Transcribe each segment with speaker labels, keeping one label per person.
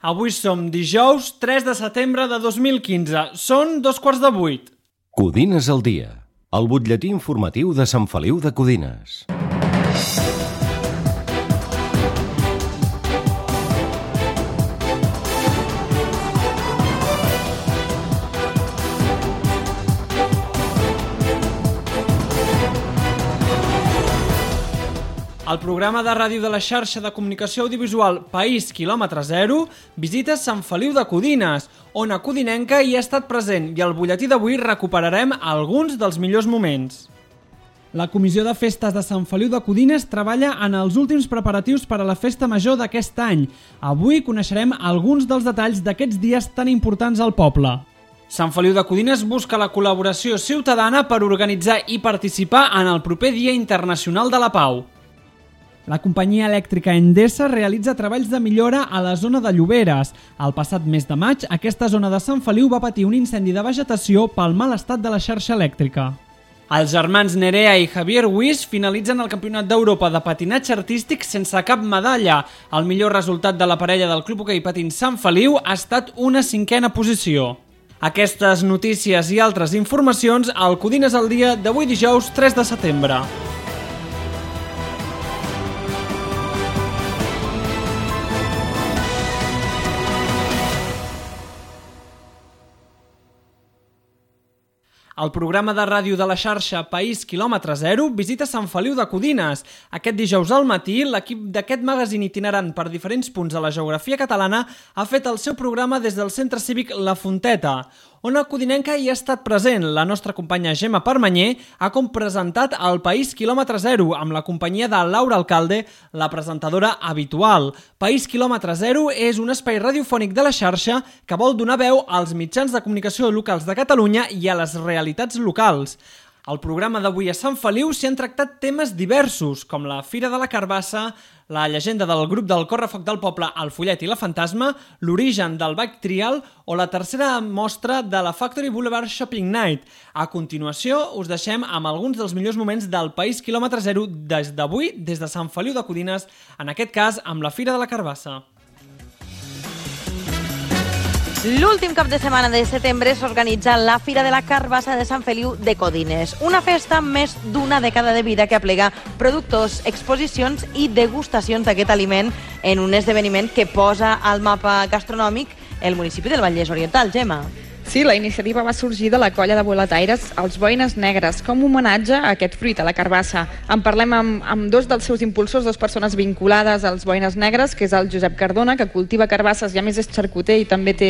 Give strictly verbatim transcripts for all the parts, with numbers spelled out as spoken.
Speaker 1: Avui som dijous tres de setembre de dos mil quinze. Són dos quarts de vuit.
Speaker 2: Codines al dia, el butlletí informatiu de Sant Feliu de Codines.
Speaker 1: El programa de ràdio de la xarxa de comunicació audiovisual País Kilòmetre Zero visita Sant Feliu de Codines, on a Codinenca hi ha estat present, i al butlletí d'avui recuperarem alguns dels millors moments. La Comissió de Festes de Sant Feliu de Codines treballa en els últims preparatius per a la festa major d'aquest any. Avui coneixerem alguns dels detalls d'aquests dies tan importants al poble. Sant Feliu de Codines busca la col·laboració ciutadana per organitzar i participar en el proper Dia Internacional de la Pau. La companyia elèctrica Endesa realitza treballs de millora a la zona de Lloberes. El passat mes de maig, aquesta zona de Sant Feliu va patir un incendi de vegetació pel mal estat de la xarxa elèctrica. Els germans Nerea i Javier Huis finalitzen el Campionat d'Europa de patinatge artístic sense cap medalla. El millor resultat de la parella del Club Hoquei Patins Sant Feliu ha estat una cinquena posició. Aquestes notícies i altres informacions al Codines al dia d'avui dijous tres de setembre. El programa de ràdio de la xarxa País Kilòmetre Zero visita Sant Feliu de Codines. Aquest dijous al matí, l'equip d'aquest magazín itinerant per diferents punts de la geografia catalana ha fet el seu programa des del centre cívic La Fonteta, on a Codinenca hi ha estat present. La nostra companya Gemma Permanyer ha presentat el País Kilòmetre Zero amb la companyia de Laura Alcalde, la presentadora habitual. País Kilòmetre Zero és un espai radiofònic de la xarxa que vol donar veu als mitjans de comunicació locals de Catalunya i a les realitats locals. Al programa d'avui a Sant Feliu s'hi han tractat temes diversos, com la Fira de la Carbassa, la llegenda del grup del Correfoc del poble El Follet i la Fantasma, l'origen del Bike Trial o la tercera mostra de la Factory Boulevard Shopping Night. A continuació, us deixem amb alguns dels millors moments del País Kilòmetre Zero des d'avui, des de Sant Feliu de Codines, en aquest cas amb la Fira de la Carbassa.
Speaker 3: L'últim cap de setmana de setembre s'organitza la Fira de la Carbassa de Sant Feliu de Codines, una festa amb més d'una dècada de vida que aplega productors, exposicions i degustacions d'aquest aliment en un esdeveniment que posa al mapa gastronòmic el municipi del Vallès Oriental. Gemma.
Speaker 4: Sí, la iniciativa va sorgir de la colla de boletaires Els Boines Negres, com un homenatge a aquest fruit, a la carbassa. En parlem amb, amb dos dels seus impulsors, dues persones vinculades als Boines Negres, que és el Josep Cardona, que cultiva carbasses i a més és xarcuter i també té,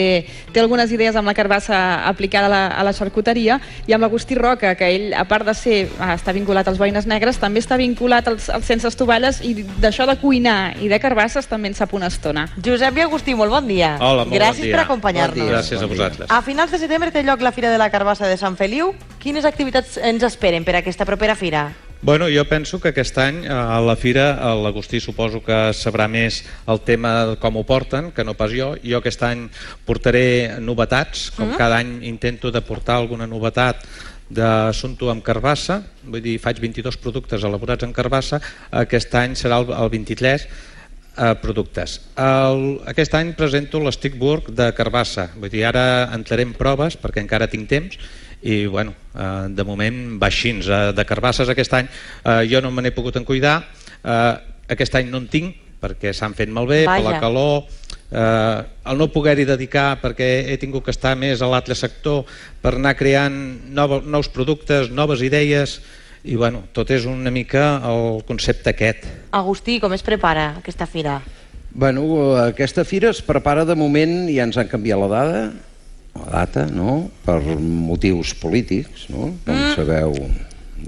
Speaker 4: té algunes idees amb la carbassa aplicada a la, a la xarcuteria, i amb Agustí Roca, que ell, a part de ser, està vinculat als Boines Negres, també està vinculat als, als Sense Estovalles, i d'això de cuinar i de carbasses també en sap una estona.
Speaker 3: Josep i Agustí, molt bon dia.
Speaker 5: Hola, molt
Speaker 3: Gràcies
Speaker 5: bon dia.
Speaker 3: per acompanyar-nos.
Speaker 5: Bon Gràcies a vosaltres.
Speaker 3: A finals de setembre té lloc la Fira de la Carbassa de Sant Feliu. Quines activitats ens esperen per aquesta propera fira?
Speaker 5: Bueno, jo penso que aquest any a la fira l'Agustí suposo que sabrà més el tema de com ho porten, que no pas jo. Jo aquest any portaré novetats, com mm. cada any intento de portar alguna novetat d'assumpte amb carbassa, vull dir, faig vint-i-dos productes elaborats amb carbassa, aquest any serà el, el vint-i-tres eh, productes. El, aquest any presento l'Stickburg de carbassa, vull dir, ara entraré en proves perquè encara tinc temps, i bueno, eh, de moment va així. Eh, de carbasses aquest any eh, jo no me n'he pogut en cuidar, eh, aquest any no en tinc perquè s'han fet malbé, per la calor, eh, el no poder-hi dedicar perquè he tingut que estar més a l'altre sector per anar creant nou, nous productes, noves idees, i bueno, tot és una mica el concepte aquest.
Speaker 3: Agustí, com es prepara aquesta fira?
Speaker 6: Bueno, aquesta fira es prepara de moment, ja ens han canviat la data, la data, no?, per motius polítics, no?, com mm. sabeu,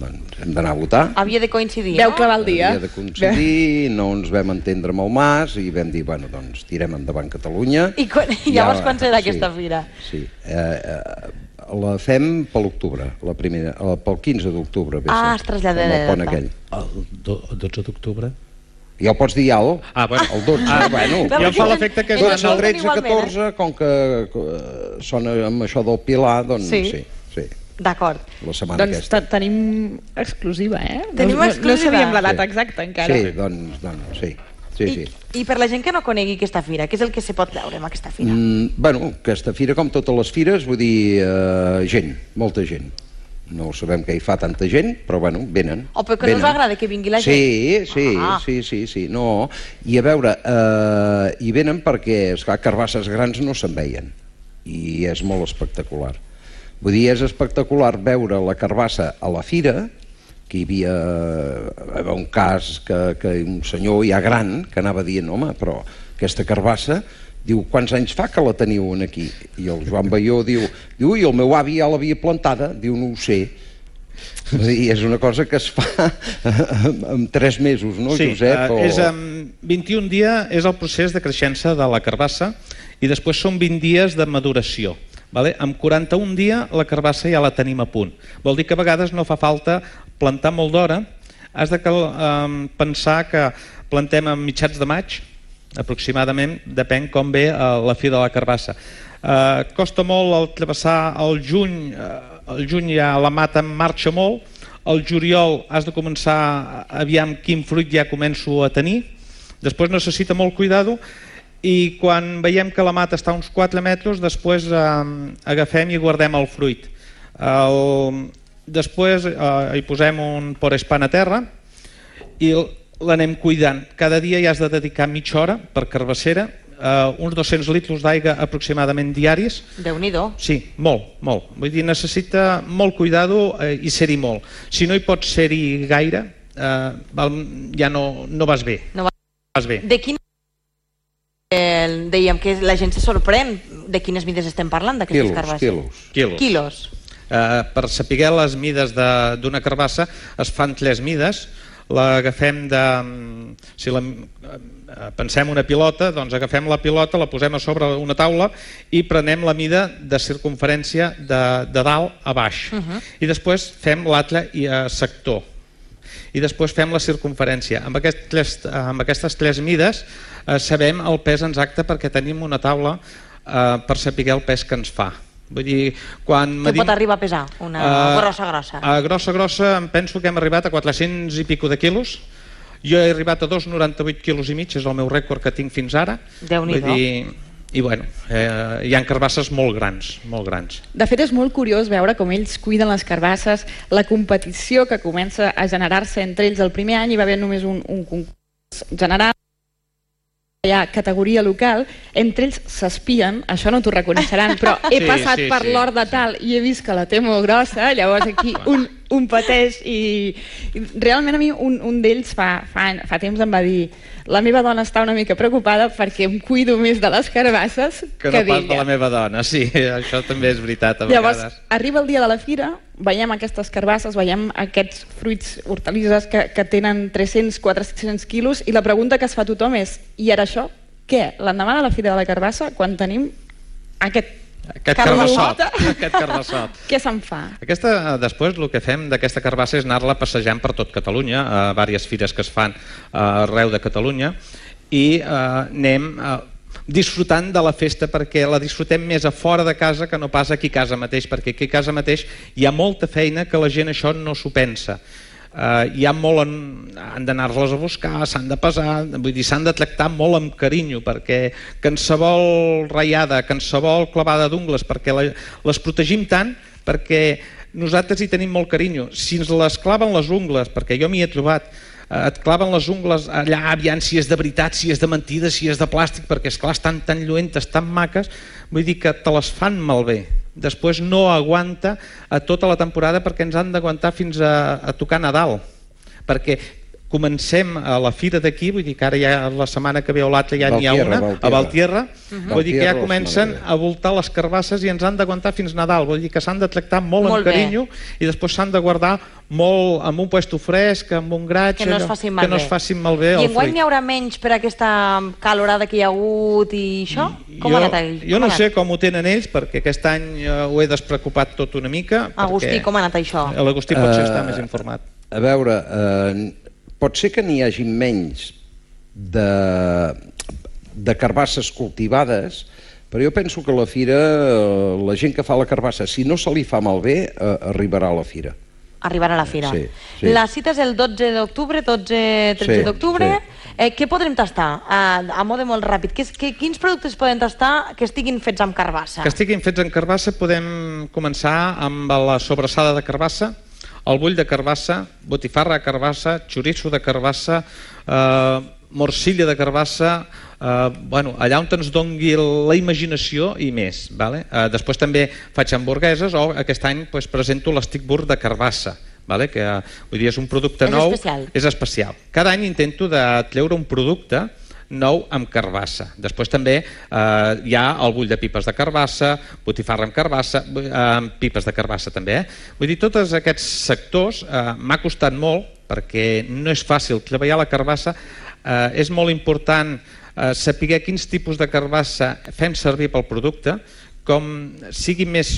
Speaker 6: doncs hem d'anar a votar.
Speaker 3: Havia de coincidir,
Speaker 4: Veu
Speaker 3: no?
Speaker 4: clavar el dia.
Speaker 6: Havia de coincidir, no ens vam entendre amb el Mas i vam dir, bueno, doncs tirem endavant Catalunya.
Speaker 3: I quan, llavors ja, quan serà sí, aquesta fira?
Speaker 6: Sí, eh, eh, la fem per l'octubre, la primera, pel quinze d'octubre.
Speaker 3: Ah, es trasllada de
Speaker 6: data. El
Speaker 5: dotze d'octubre?
Speaker 6: Ja ho pots dir al,
Speaker 5: ah, bueno.
Speaker 6: el dotze, ah, bueno.
Speaker 5: Ja em fa l'efecte que...
Speaker 6: Doncs el tretze catorze, com que sona amb això del Pilar, doncs sí, sí. sí.
Speaker 3: D'acord.
Speaker 6: La setmana
Speaker 4: doncs
Speaker 6: aquesta.
Speaker 4: Doncs tenim exclusiva, eh?
Speaker 3: Tenim
Speaker 4: no,
Speaker 3: exclusiva.
Speaker 4: No sabíem la data exacta encara.
Speaker 6: Sí, doncs, doncs sí. Sí,
Speaker 3: I,
Speaker 6: sí.
Speaker 3: I per la gent que no conegui aquesta fira, què és el que se pot veure en aquesta fira?
Speaker 6: Mm, bueno, aquesta fira, com totes les fires, vull dir, eh, gent, molta gent. No sabem què hi fa tanta gent, però bueno, venen.
Speaker 3: O perquè no us agrada que vingui la gent?
Speaker 6: Sí, sí,
Speaker 3: ah.
Speaker 6: sí, sí, sí, no. I a veure, eh, hi venen perquè, esclar, carbasses grans no se'n veien. I és molt espectacular. Vull dir, és espectacular veure la carbassa a la fira, que hi havia, hi havia un cas que, que un senyor ja gran que anava dient, home, però aquesta carbassa, diu, quants anys fa que la teniu aquí? I el Joan Baió diu, diu, i el meu avi ja l'havia plantada. Diu, no ho sé. És una cosa que es fa en tres mesos, no,
Speaker 5: sí,
Speaker 6: Josep?
Speaker 5: Sí, és en vint-i-un dies és el procés de creixença de la carbassa i després són vint dies de maduració. Vale? En quaranta-un dies la carbassa ja la tenim a punt. Vol dir que a vegades no fa falta plantar molt d'hora. Has de um, pensar que plantem a mitjans de maig, aproximadament, depèn com ve uh, la fi de la carbassa. Uh, costa molt el travessar el juny, uh, el juny ja la mata marxa molt, el juliol has de començar aviam quin fruit ja començo a tenir, després necessita molt cuidado i quan veiem que la mata està a uns quatre metres, després uh, agafem i guardem el fruit. El, després uh, hi posem un porespan a terra i el, l'anem cuidant. Cada dia hi has de dedicar mitja hora per carbassera, eh, uns dos-cents litres d'aigua aproximadament diaris.
Speaker 3: Déu-n'hi-do.
Speaker 5: Sí, molt, molt. Vull dir, necessita molt cuidado eh, i ser-hi molt. Si no hi pots ser-hi gaire, eh, ja no, no vas bé.
Speaker 3: No
Speaker 5: vas bé.
Speaker 3: De quin... Eh, dèiem que la gent se sorprèn de quines mides estem parlant, d'aquestes carbasses.
Speaker 6: Quilos,
Speaker 5: quilos.
Speaker 3: Quilos.
Speaker 5: Eh, per saber les mides d'una carbassa es fan tres mides. L'agafem de... Si la, pensem una pilota, doncs agafem la pilota, la posem a sobre una taula i prenem la mida de circumferència de, de dalt a baix. Uh -huh. I després fem l'altre sector. I després fem la circumferència. Amb, aquest, amb aquestes tres mides eh, sabem el pes exacte perquè tenim una taula eh, per saber el pes que ens fa. Vull dir, quan
Speaker 3: Què
Speaker 5: medim...
Speaker 3: pot arribar a pesar? Una uh, grossa, grossa?
Speaker 5: A grossa, grossa, em penso que hem arribat a quatre-cents i pico de quilos. Jo he arribat a dos coma noranta-vuit quilos i mig, és el meu rècord que tinc fins ara.
Speaker 3: Déu-n'hi-do.
Speaker 5: I bueno, eh, hi ha carbasses molt grans, molt grans.
Speaker 4: De fet, és molt curiós veure com ells cuiden les carbasses, la competició que comença a generar-se entre ells. El primer any hi va haver només un, un concurs general, hi ha categoria local, entre ells s'espien, això no t'ho reconeixeran, però he
Speaker 5: sí,
Speaker 4: passat
Speaker 5: sí,
Speaker 4: per
Speaker 5: sí,
Speaker 4: l'hort de tal i he vist que la té molt grossa, llavors aquí un, un pateix i, i realment a mi un, un d'ells fa, fa, fa temps em va dir la meva dona està una mica preocupada perquè em cuido més de les carbasses que,
Speaker 5: que no
Speaker 4: d'ella.
Speaker 5: pas de la meva dona, sí, això també és veritat a
Speaker 4: llavors,
Speaker 5: vegades.
Speaker 4: Arriba el dia de la fira, veiem aquestes carbasses, veiem aquests fruits, hortalisses que, que tenen tres-cents a quatre-cents quilos i la pregunta que es fa a tothom és, i ara això, què? L'endemà de la fira de la carbassa, quan tenim aquest
Speaker 5: Aquest carbassot, aquest carbassot.
Speaker 4: Què se'n fa?
Speaker 5: Aquesta, després el que fem d'aquesta carbassa és anar-la passejant per tot Catalunya, a diverses fires que es fan arreu de Catalunya, i eh, anem eh, disfrutant de la festa perquè la disfrutem més a fora de casa que no pas aquí a casa mateix, perquè aquí a casa mateix hi ha molta feina que la gent això no s'ho pensa. Uh, hi ha molt en, han d'anar-les a buscar, s'han de pesar, vull dir, s'han de tractar molt amb carinyo perquè qualsevol ratllada, qualsevol clavada d'ungles, perquè la, les protegim tant perquè nosaltres hi tenim molt carinyo. Si ens les claven les ungles, perquè jo m'hi he trobat, uh, et claven les ungles allà, aviam si és de veritat, si és de mentida, si és de plàstic, perquè esclar estan tan lluentes, tan maques, vull dir que te les fan malbé. Després no aguanta a tota la temporada perquè ens han d'aguantar fins a, a tocar Nadal, perquè comencem a la fira d'aquí, vull dir que ara ja la setmana que ve o l'altra ja n'hi ha una, a Valtierra, uh-huh. Vull dir que ja comencen a voltar les carbasses i ens han d'aguantar fins Nadal, vull dir que s'han de tractar molt, molt amb carinyo bé. I després s'han de guardar molt amb un puesto fresc, amb un graig,
Speaker 3: que no es facin malbé.
Speaker 5: Que no es facin malbé
Speaker 3: I enguany n'hi haurà menys per aquesta calorada que hi ha hagut i això? Com
Speaker 5: jo,
Speaker 3: ha anat ells?
Speaker 5: Jo no sé com ho tenen ells, perquè aquest any ho he despreocupat tot una mica.
Speaker 3: Agustí, com ha anat això?
Speaker 5: L'Agustí potser uh, està més informat.
Speaker 6: A veure, uh, pot ser que n'hi hagi menys de, de carbasses cultivades, però jo penso que a la fira, la gent que fa la carbassa, si no se li fa malbé, eh, arribarà a la fira.
Speaker 3: Arribarà a la fira.
Speaker 6: Sí, sí.
Speaker 3: La cita és el dotze d'octubre, dotze tretze d'octubre, sí, sí. Eh, què podrem tastar? A, a mode molt ràpid. Que, que, quins productes podem tastar que estiguin fets amb carbassa?
Speaker 5: Que estiguin fets amb carbassa podem començar amb la sobrassada de carbassa, el bull de carbassa, botifarra de carbassa, xoriço de carbassa, eh, morcilla de carbassa, eh, bueno, allà on ens dongui la imaginació i més. Vale? Eh, després també faig hamburgueses o aquest any pues, presento l'Stickburger de carbassa. Vale? Que, vull dir, és un producte
Speaker 3: és
Speaker 5: nou,
Speaker 3: especial.
Speaker 5: és especial. Cada any intento de treure un producte nou amb carbassa. Després també eh, hi ha el bull de pipes de carbassa, botifarra amb carbassa, eh, amb pipes de carbassa també. Eh? Vull dir, tots aquests sectors eh, m'ha costat molt perquè no és fàcil treballar la carbassa. Eh, és molt important eh, saber quins tipus de carbassa fem servir pel producte, com sigui més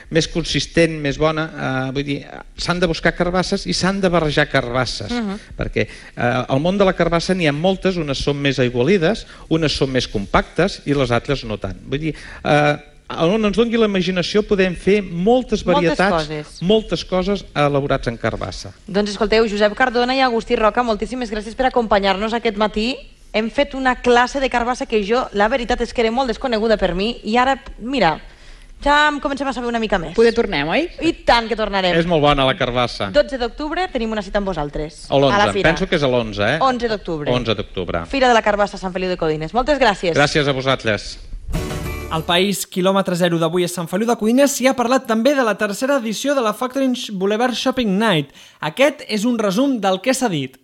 Speaker 5: més consistent, més bona, eh, vull dir, s'han de buscar carbasses i s'han de barrejar carbasses, uh -huh. perquè eh, al món de la carbassa n'hi ha moltes, unes són més aigualides, unes són més compactes i les altres no tant. Vull dir, eh, on ens doni la imaginació podem fer moltes varietats,
Speaker 3: moltes coses,
Speaker 5: moltes coses elaborats en carbassa.
Speaker 3: Doncs escolteu, Josep Cardona i Agustí Roca, moltíssimes gràcies per acompanyar-nos aquest matí. Hem fet una classe de carbassa que jo, la veritat és que era molt desconeguda per mi i ara, mira, ja em comencem a saber una mica més.
Speaker 4: Poder tornem, oi?
Speaker 3: I tant que tornarem.
Speaker 5: És molt bona la carbassa.
Speaker 3: dotze d'octubre tenim una cita amb vosaltres.
Speaker 5: A l'onze, penso que és a l'onze, eh?
Speaker 3: onze d'octubre.
Speaker 5: onze d'octubre.
Speaker 3: Fira de la Carbassa a Sant Feliu de Codines. Moltes gràcies.
Speaker 5: Gràcies a vosaltres.
Speaker 1: Al País quilòmetre zero d'avui a Sant Feliu de Codines s'hi ha parlat també de la tercera edició de la Factory Boulevard Shopping Night. Aquest és un resum del que s'ha dit.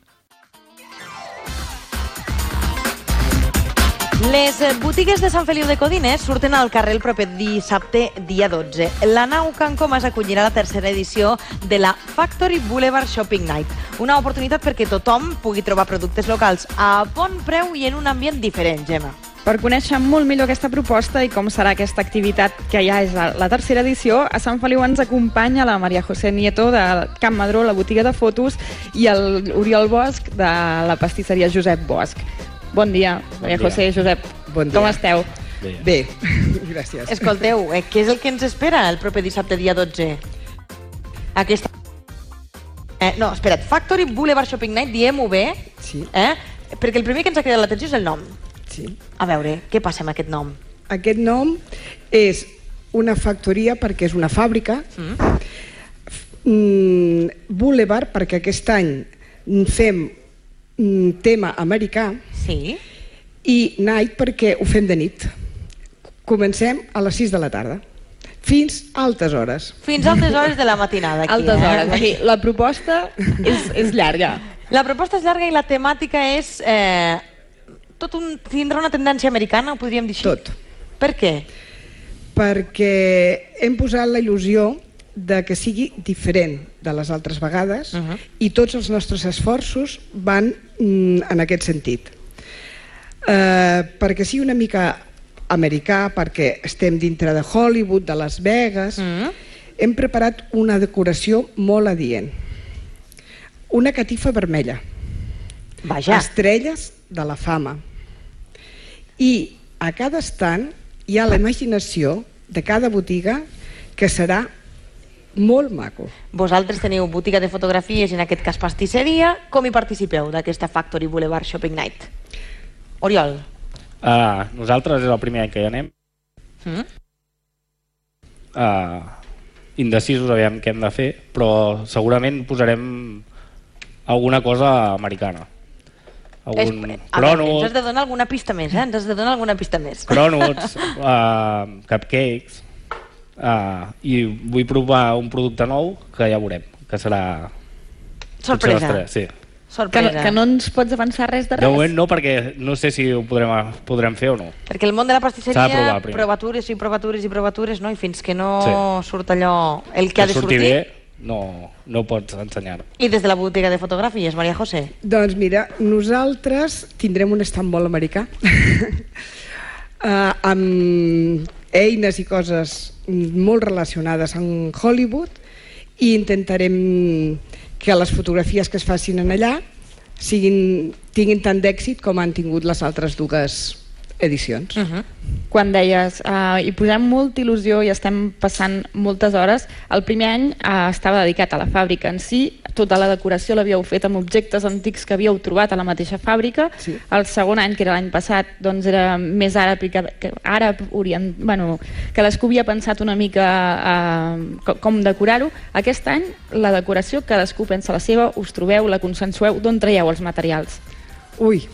Speaker 3: Les botigues de Sant Feliu de Codines surten al carrer el proper dissabte, dia dotze. La nau Can Comas acollirà la tercera edició de la Factory Boulevard Shopping Night. Una oportunitat perquè tothom pugui trobar productes locals a bon preu i en un ambient diferent, Gemma.
Speaker 4: Per conèixer molt millor aquesta proposta i com serà aquesta activitat, que ja és la tercera edició, a Sant Feliu ens acompanya la Maria José Nieto de Can Madró, la botiga de fotos, i el Oriol Bosch de la pastisseria Josep Bosch. Bon dia, Maria bon dia. José, Josep.
Speaker 7: Bon dia.
Speaker 4: Com esteu?
Speaker 7: Bé. Bé, gràcies.
Speaker 3: Escolteu, eh, què és el que ens espera el proper dissabte, dia dotze? Aquesta... Eh, no, espera't, Factory Boulevard Shopping Night, diem-ho bé,
Speaker 7: sí.
Speaker 3: eh? Perquè el primer que ens ha cridat l'atenció és el nom.
Speaker 7: Sí.
Speaker 3: A veure, què passa amb aquest nom?
Speaker 7: Aquest nom és una factoria perquè és una fàbrica, mm. Mm, Boulevard perquè aquest any fem tema americà,
Speaker 3: sí.
Speaker 7: I Night perquè ho fem de nit. Comencem a les sis de la tarda fins a altes hores.
Speaker 3: Fins a altes hores de la matinada aquí,
Speaker 4: altes
Speaker 3: eh?
Speaker 4: hores. Aquí. La proposta és, és llarga.
Speaker 3: La proposta és llarga i la temàtica és eh, tot un, tindrà una tendència americana, ho podríem dir així?
Speaker 7: Tot.
Speaker 3: Per què?
Speaker 7: Perquè hem posat la il·lusió de que sigui diferent de les altres vegades, uh-huh. i tots els nostres esforços van mm, en aquest sentit. Uh, perquè sigui una mica americà, perquè estem dintre de Hollywood, de Las Vegas, uh-huh. hem preparat una decoració molt adient. Una catifa vermella.
Speaker 3: Vaja.
Speaker 7: Estrelles de la fama. I a cada estant hi ha la imaginació de cada botiga que serà molt maco.
Speaker 3: Vosaltres teniu botiga de fotografies i en aquest cas pastisseria. Com hi participeu d'aquesta Factory Boulevard Shopping Night? Oriol.
Speaker 8: Uh, nosaltres és el primer any que hi anem.
Speaker 3: Mm?
Speaker 8: Uh, indecisos aviam què hem de fer, però segurament posarem alguna cosa americana. Algun
Speaker 3: Es,
Speaker 8: cronut,
Speaker 3: ens has de donar alguna pista més, eh? Ens has de donar alguna pista més.
Speaker 8: cronuts, uh, cupcakes, uh, i vull provar un producte nou que ja veurem, que serà...
Speaker 3: Sorpresa.
Speaker 8: Potser sí.
Speaker 3: Sorpresa.
Speaker 4: Que, que no ens pots avançar res de res?
Speaker 8: De moment no, perquè no sé si ho podrem, podrem fer o no.
Speaker 3: Perquè el món de la pastisseria,
Speaker 8: provar primer.
Speaker 3: provatures i provatures i provatures, no? I fins que no
Speaker 8: Sí.
Speaker 3: surt allò, el que ha de
Speaker 8: surti
Speaker 3: sortir...
Speaker 8: bé, no, no ho pots ensenyar.
Speaker 3: I des de la botiga de fotografies, Maria José?
Speaker 7: Doncs mira, nosaltres tindrem un estant molt americà uh, amb eines i coses molt relacionades amb Hollywood, i intentarem que les fotografies que es facin en allà siguin, tinguin tant d'èxit com han tingut les altres dues edicions.
Speaker 3: Uh -huh.
Speaker 4: Quan deies, uh, hi posem molta il·lusió i estem passant moltes hores, el primer any uh, estava dedicat a la fàbrica en si, tota la decoració l'havíeu fet amb objectes antics que havíeu trobat a la mateixa fàbrica.
Speaker 7: Sí.
Speaker 4: El segon any, que era l'any passat, doncs era més àrab, i que, que àrab orient, bueno, cadascú havia pensat una mica eh, com decorar-ho. Aquest any la decoració cadascú pensa la seva, us trobeu, la consensueu, d'on traieu els materials?
Speaker 7: Ui,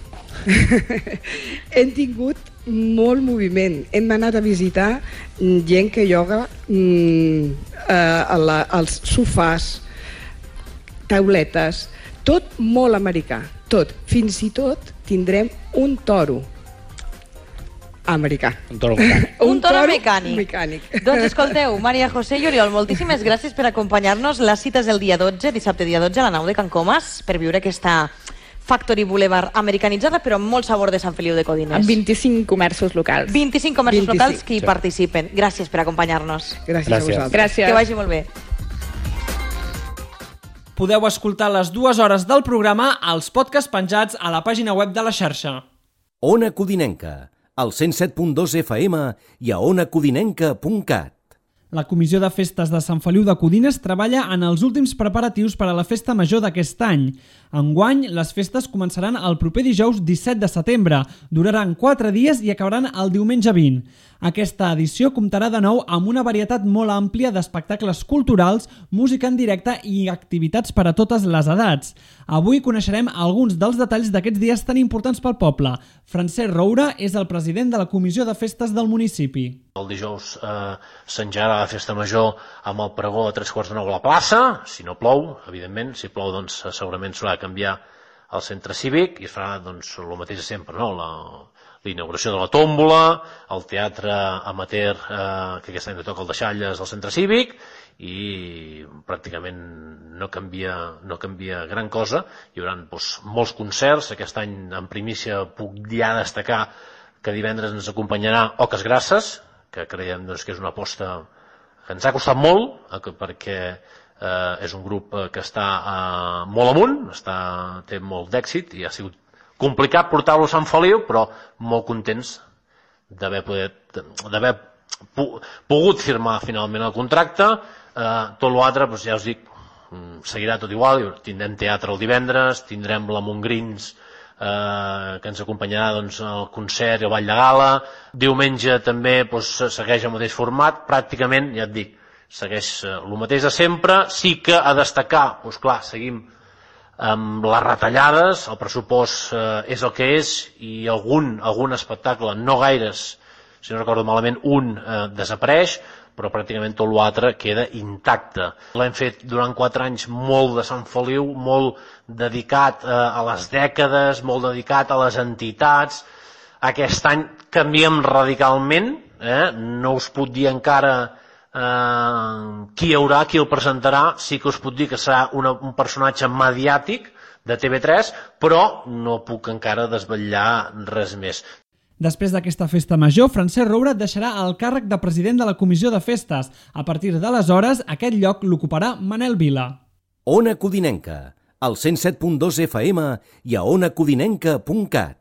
Speaker 7: hem tingut molt moviment. Hem anat a visitar gent que ioga mm, eh, la, els sofàs, tauletes, tot molt americà, tot. Fins i tot tindrem un toro americà.
Speaker 8: Un toro mecànic.
Speaker 3: Un, un toro, toro
Speaker 7: mecànic.
Speaker 3: mecànic. Doncs escolteu, Maria José i Oriol, moltíssimes gràcies per acompanyar-nos. La cita és el dia dotze, dissabte dia dotze, a la nau de Can Comas, per viure aquesta Factory Boulevard americanitzada, però amb molt sabor de Sant Feliu de Codines.
Speaker 4: Amb vint-i-cinc comerços locals.
Speaker 3: vint-i-cinc comerços
Speaker 7: vint-i-cinc.
Speaker 3: locals que hi
Speaker 8: Sí.
Speaker 3: participen. Gràcies per acompanyar-nos.
Speaker 7: Gràcies,
Speaker 8: Gràcies.
Speaker 7: a vosaltres.
Speaker 4: Gràcies.
Speaker 3: Que vagi molt bé.
Speaker 1: Podeu escoltar les dues hores del programa als podcasts penjats a la pàgina web de la xarxa.
Speaker 2: Ona Codinenca, al cent set punt dos F M i a ona codinenca punt cat.
Speaker 1: La Comissió de Festes de Sant Feliu de Codines treballa en els últims preparatius per a la festa major d'aquest any. Enguany, les festes començaran el proper dijous disset de setembre, duraran quatre dies i acabaran el diumenge vint. Aquesta edició comptarà de nou amb una varietat molt àmplia d'espectacles culturals, música en directe i activitats per a totes les edats. Avui coneixerem alguns dels detalls d'aquests dies tan importants pel poble. Francesc Roura és el president de la Comissió de Festes del municipi.
Speaker 9: El dijous eh, s'engegarà la festa major amb el pregó a tres quarts de nou a la plaça, si no plou, evidentment. Si plou, doncs, segurament s'haurà de canviar el centre cívic i es farà doncs, el mateix de sempre, no? La, la inauguració de la tómbola, el teatre amateur, eh, que aquest any toca el Deixalles al centre cívic, i pràcticament no canvia, no canvia gran cosa. Hi haurà doncs, molts concerts. Aquest any, en primícia, puc ja destacar que divendres ens acompanyarà Oques Grasses, que creiem doncs, que és una aposta que ens ha costat molt, perquè eh, és un grup que està eh, molt amunt, està, té molt d'èxit i ha sigut complicat portar-lo a Sant Feliu, però molt contents d'haver d'haver pogut firmar finalment el contracte. Eh, tot l'altre, doncs, ja us dic, seguirà tot igual. Tindrem teatre el divendres, tindrem la Montgrins, eh, que ens acompanyarà doncs, el concert i el ball de gala. Diumenge també doncs, segueix el mateix format, pràcticament, ja et dic, segueix eh, el mateix de sempre. Sí que a destacar, doncs clar, seguim amb les retallades, el pressupost eh, és el que és, i algun, algun espectacle, no gaires, si no recordo malament, un eh, desapareix, però pràcticament tot l'altre queda intacte. L'hem fet durant quatre anys molt de Sant Feliu, molt dedicat eh, a les dècades, molt dedicat a les entitats. Aquest any canviem radicalment, eh? No us puc dir encara eh, qui hi haurà, qui el presentarà. Sí que us puc dir que serà una, un personatge mediàtic de T V tres, però no puc encara desvetllar res més.
Speaker 1: Després d'aquesta festa major, Francesc Roura deixarà el càrrec de president de la Comissió de Festes. A partir d'aleshores, aquest lloc l'ocuparà Manel Vila.
Speaker 2: Ona Codinenca, al cent set punt dos F M i a ona codinenca punt cat.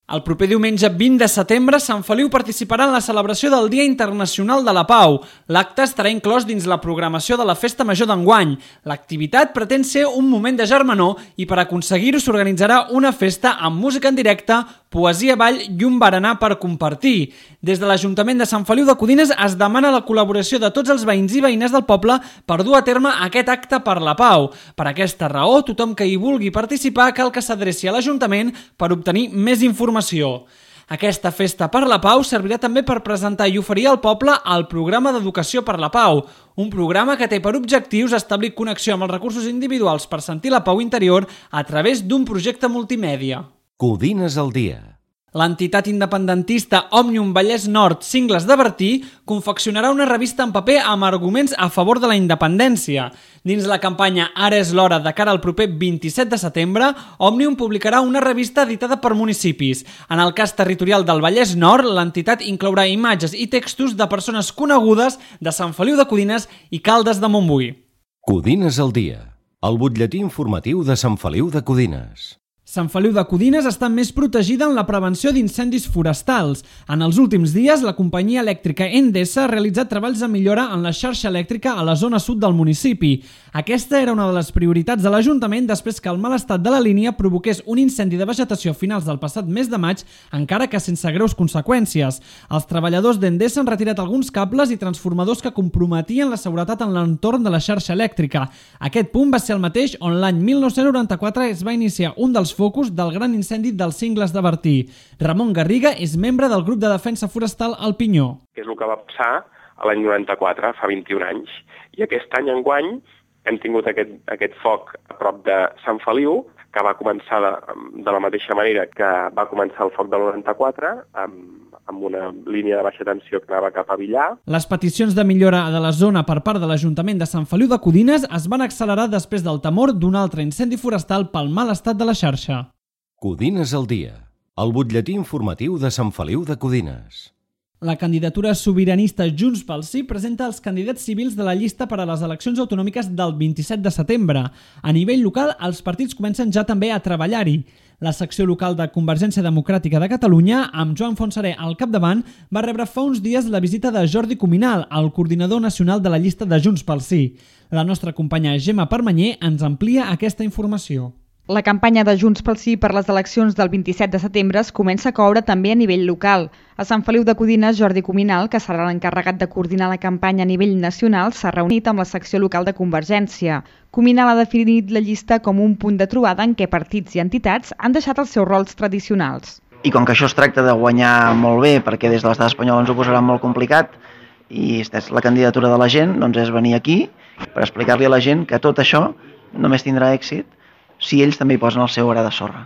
Speaker 1: El proper diumenge vint de setembre, Sant Feliu participarà en la celebració del Dia Internacional de la Pau. L'acte estarà inclòs dins la programació de la Festa Major d'enguany. L'activitat pretén ser un moment de germanor i per aconseguir-ho s'organitzarà una festa amb música en directe, poesia, ball i un berenar per compartir. Des de l'Ajuntament de Sant Feliu de Codines es demana la col·laboració de tots els veïns i veïnes del poble per dur a terme aquest acte per la pau. Per aquesta raó, tothom que hi vulgui participar cal que s'adreci a l'Ajuntament per obtenir més informació. Aquesta festa per la pau servirà també per presentar i oferir al poble el programa d'Educació per la Pau, un programa que té per objectius establir connexió amb els recursos individuals per sentir la pau interior a través d'un projecte multimèdia.
Speaker 2: Codines al dia.
Speaker 1: L'entitat independentista Òmnium Vallès Nord Cingles de Bertí confeccionarà una revista en paper amb arguments a favor de la independència. Dins la campanya Ara és l'hora de cara al proper vint-i-set de setembre, Òmnium publicarà una revista editada per municipis. En el cas territorial del Vallès Nord, l'entitat inclourà imatges i textos de persones conegudes de Sant Feliu de Codines i Caldes de Montbui.
Speaker 2: Codines al dia, el butlletí informatiu de Sant Feliu de Codines.
Speaker 1: Sant Feliu de Codines està més protegida en la prevenció d'incendis forestals. En els últims dies, la companyia elèctrica Endesa ha realitzat treballs de millora en la xarxa elèctrica a la zona sud del municipi. Aquesta era una de les prioritats de l'Ajuntament després que el mal estat de la línia provoqués un incendi de vegetació a finals del passat mes de maig, encara que sense greus conseqüències. Els treballadors d'Endesa han retirat alguns cables i transformadors que comprometien la seguretat en l'entorn de la xarxa elèctrica. Aquest punt va ser el mateix on l'any mil nou-cents noranta-quatre es va iniciar un dels focus del gran incendi dels Cingles de Bertí. Ramon Garriga és membre del grup de defensa forestal El Pinyó.
Speaker 10: Que és el que va passar a l'any noranta-quatre, fa vint-i-un anys. I aquest any enguany hem tingut aquest, aquest foc a prop de Sant Feliu, que va començar de, de la mateixa manera que va començar el foc del noranta-quatre, amb, amb una línia de baixa tensió que anava cap a Villar.
Speaker 1: Les peticions de millora de la zona per part de l'Ajuntament de Sant Feliu de Codines es van accelerar després del temor d'un altre incendi forestal pel mal estat de la xarxa.
Speaker 2: Codines al dia, el butlletí informatiu de Sant Feliu de Codines.
Speaker 1: La candidatura sobiranista Junts pel Sí presenta els candidats civils de la llista per a les eleccions autonòmiques del vint-i-set de setembre. A nivell local, els partits comencen ja també a treballar-hi. La secció local de Convergència Democràtica de Catalunya, amb Joan Fontserè al capdavant, va rebre fa uns dies la visita de Jordi Cuminal, el coordinador nacional de la llista de Junts pel Sí. La nostra companya Gemma Permanyer ens amplia aquesta informació.
Speaker 4: La campanya de Junts pel Sí per les eleccions del vint-i-set de setembre es comença a coure també a nivell local. A Sant Feliu de Codines, Jordi Cuminal, que serà l'encarregat de coordinar la campanya a nivell nacional, s'ha reunit amb la secció local de Convergència. Cuminal ha definit la llista com un punt de trobada en què partits i entitats han deixat els seus rols tradicionals.
Speaker 11: I com que això es tracta de guanyar molt bé, perquè des de l'estat espanyol ens ho posarà molt complicat, i és la candidatura de la gent, doncs és venir aquí per explicar-li a la gent que tot això només tindrà èxit si ells també hi posen el seu gra de sorra.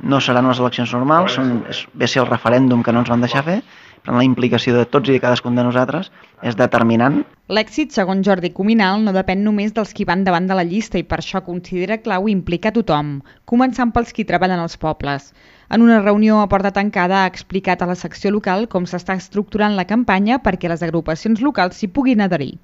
Speaker 11: No seran unes eleccions normals, són, és, ve a ser el referèndum que no ens van deixar fer, però la implicació de tots i de cadascun de nosaltres és determinant.
Speaker 4: L'èxit, segons Jordi Cuminal, no depèn només dels qui van davant de la llista i per això considera clau implicar tothom, començant pels qui treballen als pobles. En una reunió a porta tancada ha explicat a la secció local com s'està estructurant la campanya perquè les agrupacions locals s'hi puguin adherir.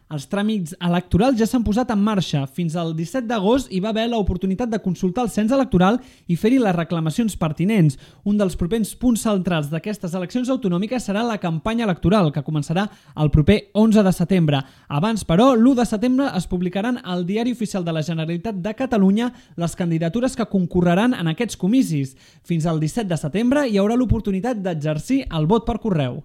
Speaker 1: Els tràmits electorals ja s'han posat en marxa. Fins al disset d'agost hi va haver l'oportunitat de consultar el cens electoral i fer-hi les reclamacions pertinents. Un dels propers punts centrals d'aquestes eleccions autonòmiques serà la campanya electoral, que començarà el proper onze de setembre. Abans, però, l'u de setembre es publicaran al Diari Oficial de la Generalitat de Catalunya les candidatures que concorreran en aquests comicis. Fins al disset de setembre hi haurà l'oportunitat d'exercir el vot per correu.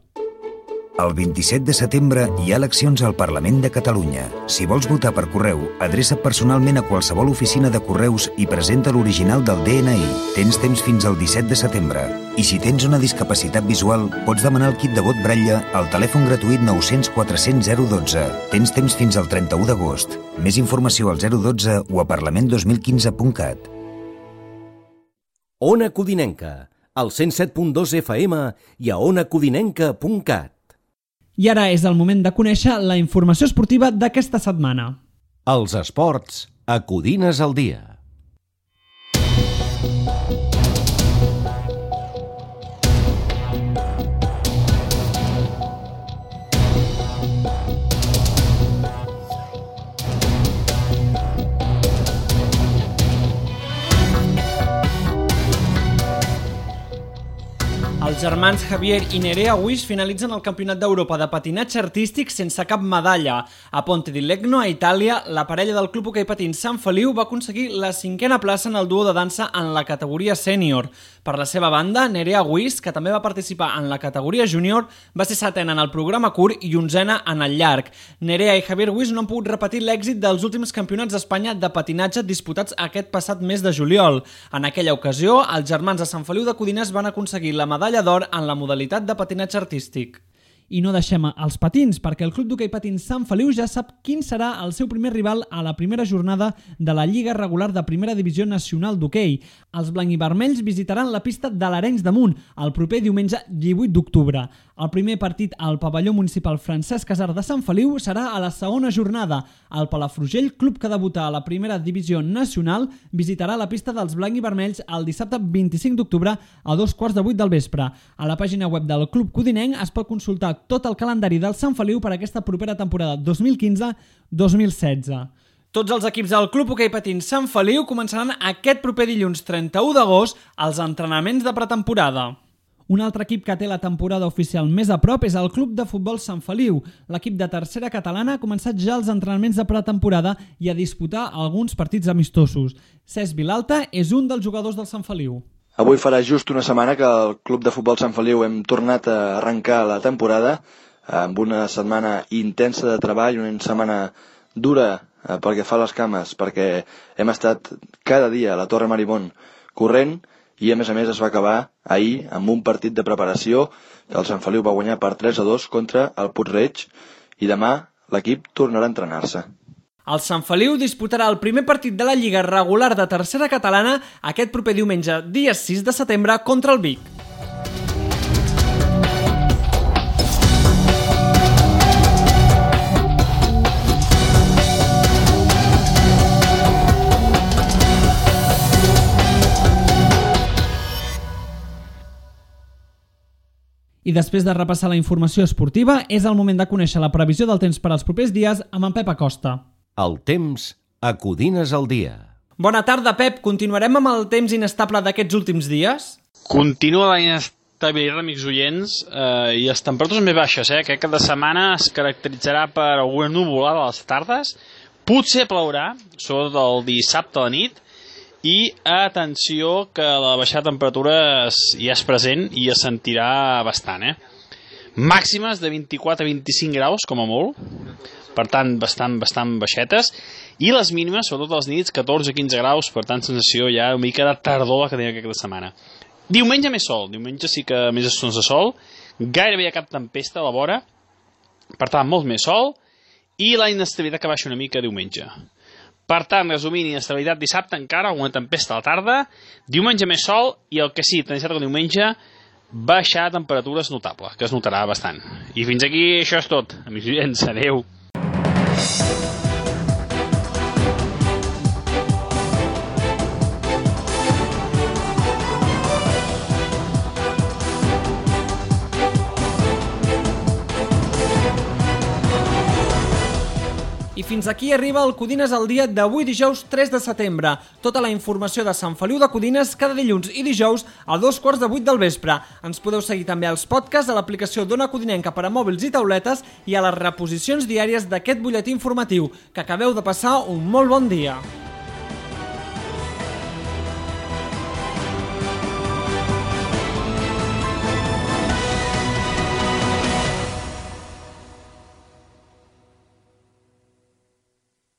Speaker 12: El vint-i-set de setembre hi ha eleccions al Parlament de Catalunya. Si vols votar per correu, adreça't personalment a qualsevol oficina de correus i presenta l'original del D N I. Tens temps fins al disset de setembre. I si tens una discapacitat visual, pots demanar el kit de vot Braille al telèfon gratuït nou cents quatre cents zero dotze. Tens temps fins al trenta-u d'agost. Més informació al zero dotze o a parlament dos mil quinze punt cat.
Speaker 2: Ona Codinenca, al cent set punt dos F M i a ona codinenca punt cat.
Speaker 1: I ara és el moment de conèixer la informació esportiva d'aquesta setmana.
Speaker 2: Els esports a Codines al dia.
Speaker 1: Els germans Javier i Nerea Wish finalitzen el Campionat d'Europa de patinatge artístic sense cap medalla. A Ponte di Legno, a Itàlia, la parella del Club Hoquei Patins Sant Feliu va aconseguir la cinquena plaça en el duo de dansa en la categoria sènior. Per la seva banda, Nerea Wish, que també va participar en la categoria júnior, va ser setena en el programa curt i onzena en el llarg. Nerea i Javier Wish no han pogut repetir l'èxit dels últims campionats d'Espanya de patinatge disputats aquest passat mes de juliol. En aquella ocasió, els germans de Sant Feliu de Codines van aconseguir la medalla d'or en la modalitat de patinatge artístic. I no deixem els patins, perquè el Club d'Hoquei Patins Sant Feliu ja sap quin serà el seu primer rival a la primera jornada de la Lliga Regular de Primera Divisió Nacional d'Hoquei. Els blanc-i-vermells visitaran la pista de l'Arenys de Munt el proper diumenge divuit d'octubre. El primer partit al pavelló municipal Francesc Casar de Sant Feliu serà a la segona jornada. El Palafrugell, club que debuta a la Primera Divisió Nacional, visitarà la pista dels blanc-i-vermells el dissabte vint-i-cinc d'octubre a dos quarts de vuit del vespre. A la pàgina web del Club Codinenc es pot consultar tot el calendari del Sant Feliu per a aquesta propera temporada dos mil quinze dos mil setze. Tots els equips del Club Hoquei Patins Sant Feliu començaran aquest proper dilluns trenta-u d'agost els entrenaments de pretemporada. Un altre equip que té la temporada oficial més a prop és el Club de Futbol Sant Feliu. L'equip de tercera catalana ha començat ja els entrenaments de pretemporada i a disputar alguns partits amistosos. Cesc Vilalta és un dels jugadors del Sant Feliu.
Speaker 13: Avui farà just una setmana que el Club de Futbol Sant Feliu hem tornat a arrencar la temporada amb una setmana intensa de treball, una setmana dura pel que fa a les cames, perquè hem estat cada dia a la Torre Maribón corrent i a més a més es va acabar ahir amb un partit de preparació que el Sant Feliu va guanyar per tres a dos contra el Puig-reig i demà l'equip tornarà a entrenar-se.
Speaker 1: El Sant Feliu disputarà el primer partit de la Lliga regular de tercera catalana aquest proper diumenge, dia sis de setembre, contra el Vic. I després de repassar la informació esportiva, és el moment de conèixer la previsió del temps per als propers dies amb en Pep Acosta.
Speaker 2: El temps a Codines al dia.
Speaker 1: Bona tarda, Pep. Continuarem amb el temps inestable d'aquests últims dies?
Speaker 14: Continua la inestabilitat, amics oients, eh, i les temperatures més baixes. Eh? Aquest cap de setmana es caracteritzarà per alguna nuvolada a les tardes. Potser plourà, sobretot el dissabte a la nit, i atenció que la baixada de temperatures ja és present i es sentirà bastant, eh? Màximes de vint-i-quatre a vint-i-cinc graus, com a molt, per tant, bastant, bastant baixetes, i les mínimes, sobretot les nits, catorze a quinze graus, per tant, sensació ja una mica de tardor que tenim aquesta setmana. Diumenge més sol, diumenge sí que més estons de sol, gairebé hi ha cap tempesta a la vora, per tant, molt més sol, i la inestabilitat que baixa una mica diumenge. Per tant, resumint, inestabilitat dissabte encara, alguna tempesta a la tarda, diumenge més sol i el que sí, tant dissabte com diumenge, baixar temperatures notable, que es notarà bastant. I fins aquí això és tot. Amics oients, adeu.
Speaker 1: I fins aquí arriba el Codines al dia d'avui dijous tres de setembre. Tota la informació de Sant Feliu de Codines cada dilluns i dijous a dos quarts de vuit del vespre. Ens podeu seguir també als podcasts a l'aplicació d'Ona Codinenca per a mòbils i tauletes i a les reposicions diàries d'aquest butlletí informatiu. Que acabeu de passar un molt bon dia.